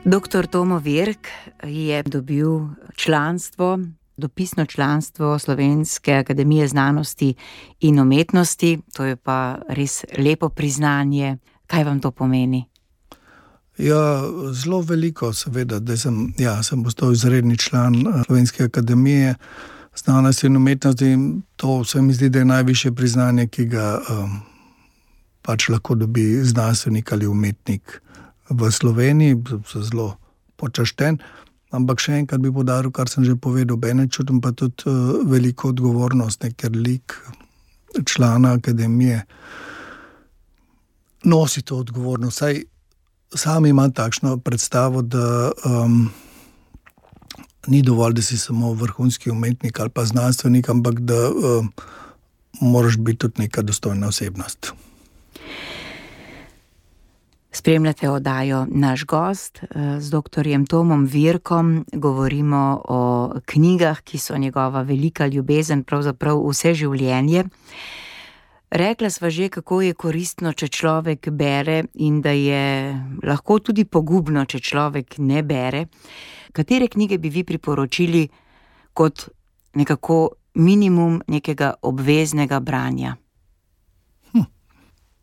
Doktor Tomo Virk je dobil članstvo, dopisno članstvo Slovenske akademije znanosti in umetnosti. To je pa res lepo priznanje. Kaj vam to pomeni? Ja, zelo veliko, seveda, da sem, ja, sem postal izredni član Slovenske akademije znanosti in umetnosti. To se mi zdi, da je najvišje priznanje, ki ga um, pač lahko dobi znanstvenik ali umetnik v Sloveniji. Sem zelo počašten, ampak še enkrat bi poudaril, kar sem že povedal, bene čutim pa tudi uh, veliko odgovornost, ne, ker lik člana akademije nosi to odgovornost. Saj sam imam takšno predstavo, da um, ni dovolj, da si samo vrhunski umetnik ali pa znanstvenik, ampak da um, moraš biti tudi neka dostojna osebnost. Spremljate oddajo Naš gost z doktorjem Tomom Virkom. Govorimo o knjigah, ki so njegova velika ljubezen, pravzaprav vse življenje. Rekla sva že, kako je koristno, če človek bere, in da je lahko tudi pogubno, če človek ne bere. Katere knjige bi vi priporočili kot nekako minimum nekega obveznega branja? Hm.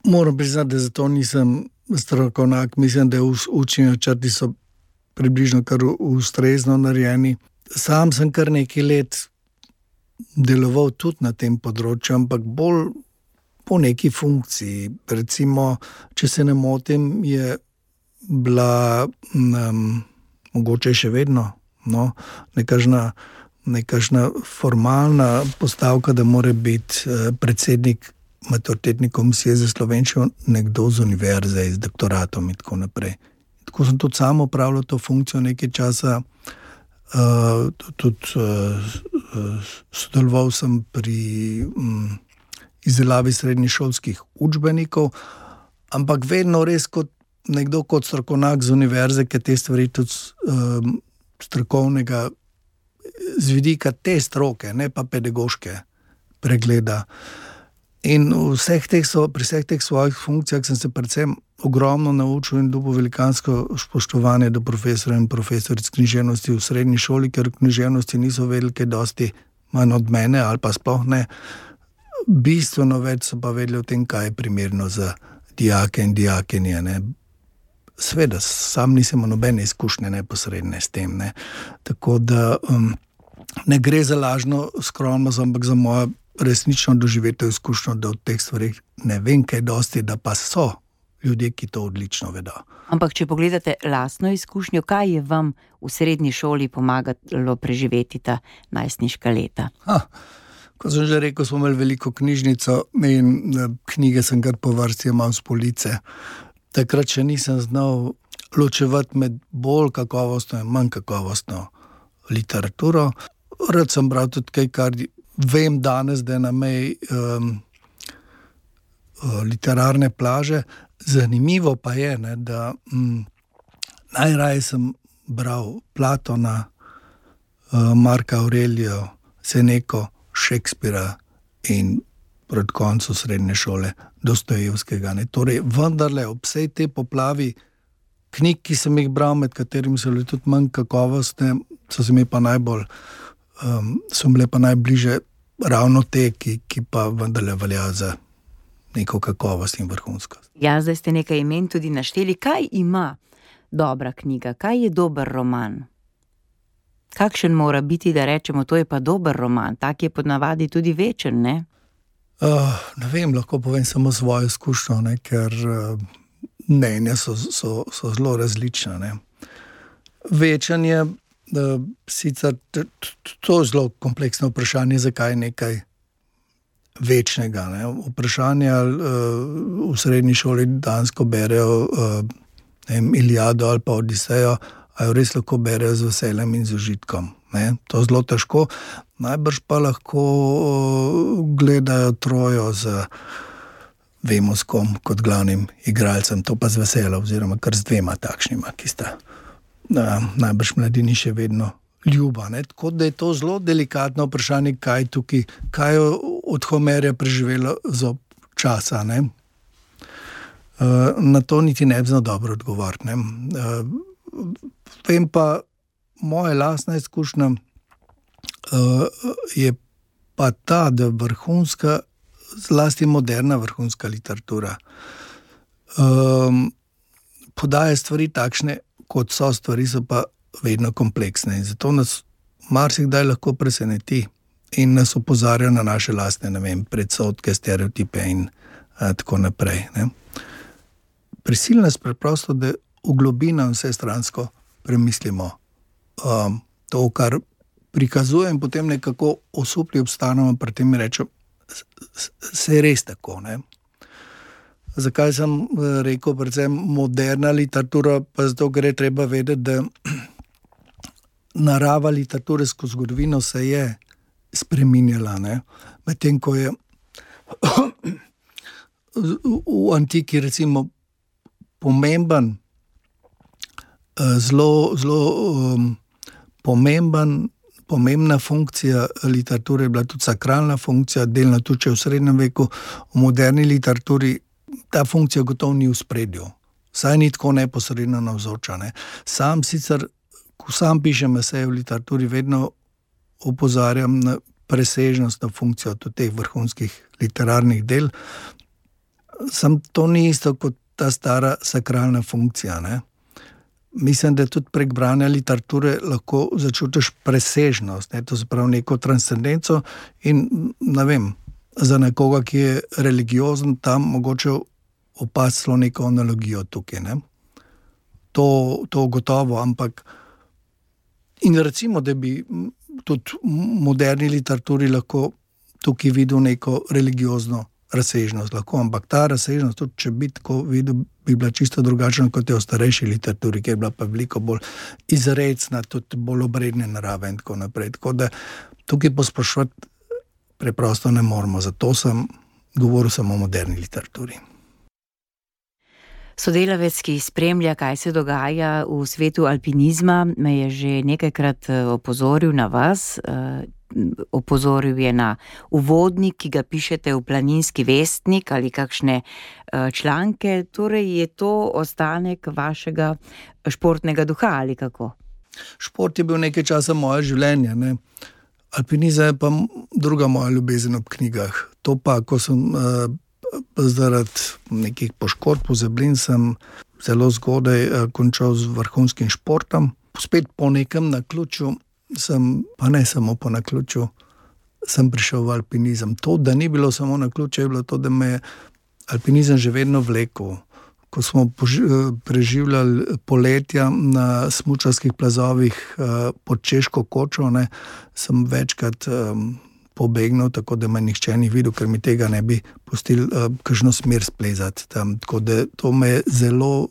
Moram priznati, da zato nisem strokovnjak. Mislim, da učni načrti so približno kar ustrezno narejeni. Sam sem kar nekaj let deloval tudi na tem področju, ampak bolj po neki funkciji. Recimo, če se ne motim, je bila um, mogoče še vedno no, nekažna, nekažna formalna postavka, da mora biti uh, predsednik maturitetne komisije za slovenščino nekdo z univerze, z doktoratom in tako naprej. Tako sem tudi sam opravljal to funkcijo nekaj časa, uh, tudi uh, sodeloval sem pri um, izdelavi srednješolskih učbenikov, ampak vedno res kot nekdo kot strokovnjak z univerze, ki te stvari tudi um, strokovnega z vidika te stroke, ne pa pedagoške pregleda. In vseh teh so, pri vseh teh svojih funkcijah sem se predvsem ogromno naučil in dobil velikansko spoštovanje do profesorjev in profesoric književnosti v srednji šoli, ker v književnosti niso vedeli kaj dosti manj od mene ali pa sploh ne. Bistveno več so pa vedeli o tem, kaj je primerno za dijake in dijakinje. Ne. Sveda, sam nisem imel nobene izkušnje neposredne s tem. Ne. Tako da um, ne gre za lažno skromnost, ampak za mojo resnično doživeto izkušnjo, da od teh stvari ne vem kaj dosti, da pa so ljudje, ki to odlično vedo. Ampak če pogledate lastno izkušnjo, kaj je vam v srednji šoli pomagalo preživeti ta najstniška leta? Ha. Kot sem že rekel, smo imeli veliko knjižnico in knjige sem kar po vrsti imel z police. Takrat še nisem znal ločevati med bolj kakovostno in manj kakovostno literaturo. Rad sem bral tudi kaj, kar vem danes, da je na meji um, literarne plaže. Zanimivo pa je, ne, da um, najraje sem bral Platona, uh, Marka Aurelijo, Seneko, Šekspira in pred koncu srednje šole Dostojevskega. Ne. Torej, vendarle ob vsej te poplavi knjig, ki sem jih bral, med katerimi so bile tudi manj kakovostne, so se mi pa najbolj, um, so bile pa najbliže ravno te, ki, ki pa vendarle velja za neko kakovost in vrhunskost. Ja, zdaj ste nekaj imen tudi našteli. Kaj ima dobra knjiga? Kaj je dober roman? Kakšen mora biti, da rečemo, to je pa dober roman? Tak je ponavadi tudi večen, ne? Uh, ne vem, lahko povem samo svojo izkušnjo, ne, ker uh, mnenja so, so, so zelo različna. Ne. Večen je, uh, sicer t, t, to je zelo kompleksno vprašanje, zakaj je nekaj večnega. Ne. Vprašanje, ali uh, v srednji šoli dansko berejo uh, ne vem, Iliado ali pa Odisejo, a jo res lahko berejo z veseljem in z užitkom. Ne? To je zelo težko. Najbrž pa lahko gledajo Trojo z, vemo s kom, kot glavnim igralcem, to pa z veseljem, oziroma kar z dvema takšnima, ki sta na, najbrž mladini še vedno ljuba. Ne? Tako da je to zelo delikatno vprašanje, kaj tukaj, kaj je od Homerja preživelo zob časa. Ne? Uh, na to niti ne bi znal dobro odgovoriti. Ne? Uh, vem pa, moja lastna izkušnja uh, je pa ta, da vrhunska, zlasti moderna vrhunska literatura um, podaja stvari takšne, kot so stvari, so pa vedno kompleksne. In zato nas marsikdaj lahko preseneti in nas opozarja na naše lastne, ne vem, predsodke, stereotipe in uh, tako naprej. Ne? Prisilno nas preprosto, da v globino vse stransko premislimo um, to, kar prikazuje in potem nekako osupli obstanemo, pri tem rečem, se je res tako. Ne? Zakaj sem rekel predvsem moderna literatura, pa zato, ker je treba vedeti, da narava literature skozi zgodovino se je spreminjala. Medtem ko je v antiki recimo pomemben, zelo, zelo um, pomemben, pomembna funkcija literature je bila tudi sakralna funkcija, delno tudi če v srednjem veku, v moderni literaturi ta funkcija gotovo ni v spredju. Saj ni tako neposredno navzoča. Ne. Sam sicer, ko sam pišem eseje v literaturi, vedno opozarjam na presežnost, na funkcijo tudi teh vrhunskih literarnih del. Sam to ni isto kot ta stara sakralna funkcija. Ne? Mislim, da tudi prek branja literature lahko začutiš presežnost, ne? To se pravi neko transcendenco in, ne vem, za nekoga, ki je religiozen, tam mogoče opaziti celo neko analogijo tukaj. Ne? To, to gotovo, ampak in recimo, da bi tudi v moderni literaturi lahko tukaj videl neko religiozno razsežnost lahko, ampak ta razsežnost, tudi če bi tako videl, bi bila čisto drugačna kot je v starejši literaturi, ki je bila pa veliko bolj izrecna, tudi bolj obredne narave in tako naprej. Tako da tukaj posploševati preprosto ne moramo, zato sem govoril samo o moderni literaturi. Sodelavec, ki spremlja, kaj se dogaja v svetu alpinizma, me je že nekajkrat opozoril na vas. Opozoril je na uvodnik, ki ga pišete v Planinski vestnik ali kakšne članke. Torej je to ostanek vašega športnega duha ali kako? Šport je bil nekaj časa moje življenje. Ne? Alpinizem je pa druga moja ljubezen ob knjigah. To pa, ko sem uh, zaradi nekih poškodb pozablin, sem zelo zgodaj uh, končal z vrhunskim športom. Spet po nekem naključju sem, pa ne samo po naključju, sem prišel v alpinizem. To, da ni bilo samo naključje, je bilo to, da me je alpinizem že vedno vlekel. Ko smo preživljali poletja na smučarskih plazovih pod Češko kočo, ne, sem večkrat um, pobegnil, tako da me nihče ni videl, ker mi tega ne bi pustili uh, kakšno smer splezati tam. Tako da to me je zelo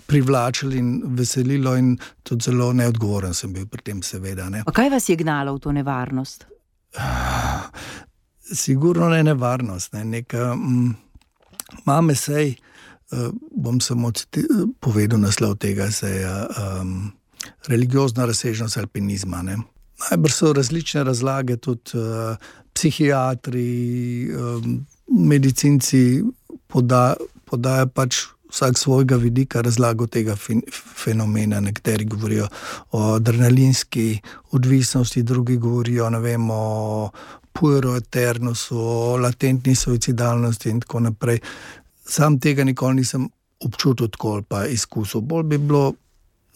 privlačilo in veselilo in tudi zelo neodgovoren sem bil pri tem, seveda. Ne. A kaj vas je gnalo v to nevarnost? Sigurno ne nevarnost. Ne. Neka mm, mame sej, uh, bom samo povedal naslov tega seja, um, religiozna razsežnost alpinizma. Ne. Najbrž so različne razlage, tudi uh, psihiatri, um, medicinci poda, podajo pač vsak svojega vidika razlagal tega fenomena. Nekateri govorijo o adrenalinski odvisnosti, drugi govorijo, ne vem, o puero eternusu, o latentni suicidalnosti in tako naprej. Sam tega nikoli nisem občutil tako ali pa izkusil. Bolj bi bilo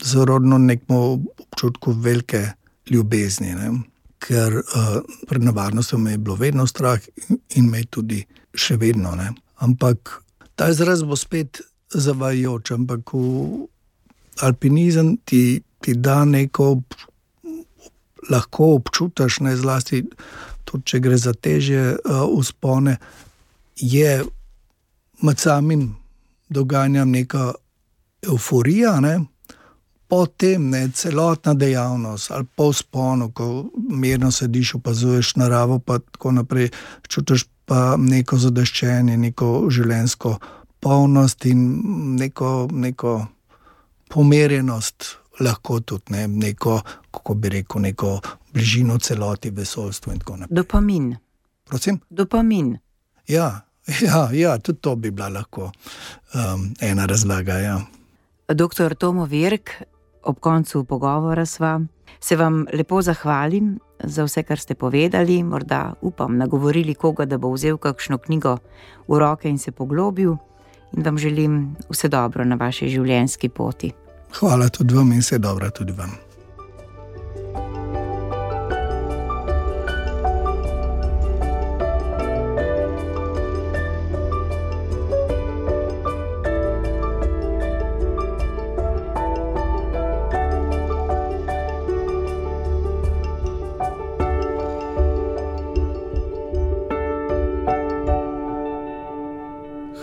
zarodno nekemu občutku velike ljubezni, ne? Ker uh, pred nevarnostjo me je bilo vedno strah in me tudi še vedno. Ne? Ampak ta izraz bo spet zavajajoč, ampak v alpinizem ti, ti da neko, lahko občutaš, ne, zlasti tudi, če gre za težje uh, vzpone, je med samim dogajanjem neka evforija, ne? Potem ne, celotna dejavnost ali po vzponu, ko mirno sediš, opazuješ naravo, pa tako naprej, čutiš pa neko zadeščenje, neko življenjsko polnost in neko, neko pomerjenost, lahko tudi ne, neko, kako bi rekel, neko bližino celoti, vesoljstvu in tako naprej. Dopamin. Prosim? Dopamin. Ja, ja, ja, tudi to bi bila lahko um, ena razlaga, ja. Doktor Tomo Virk, ob koncu pogovora sva, se vam lepo zahvalim za vse, kar ste povedali, morda upam nagovorili koga, da bo vzel kakšno knjigo v roke in se poglobil, in vam želim vse dobro na vaši življenjski poti. Hvala tudi vam in vse dobro tudi vam.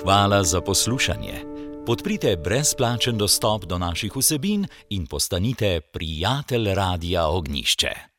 Hvala za poslušanje. Podprite brezplačen dostop do naših vsebin in postanite prijatelj Radia Ognjišče.